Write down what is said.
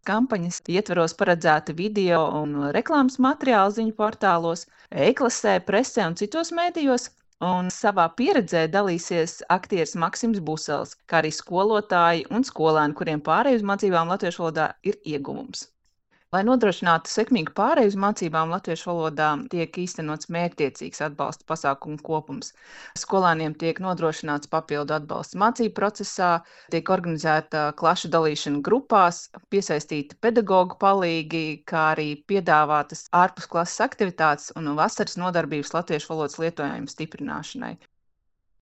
kampaņas ietveros paredzēti video un reklāmas materiāli ziņu portālos, e-klasē, presē un citos mēdījos. Un savā pieredzē dalīsies aktieris Maksims Busels, kā arī skolotāji un skolēni, kuriem pārēj uz mācībām latviešu valodā ir ieguvums. Lai nodrošinātu sekmīgu pāreju uz mācībām latviešu valodā, tiek īstenots mērķtiecīgs atbalsta pasākumu kopums. Skolēniem tiek nodrošināts papildu atbalsts mācību procesā, tiek organizēta klašu dalīšana grupās, piesaistīti pedagogu palīgi, kā arī piedāvātas ārpusklases aktivitātes un vasaras nodarbības latviešu valodas lietojuma stiprināšanai.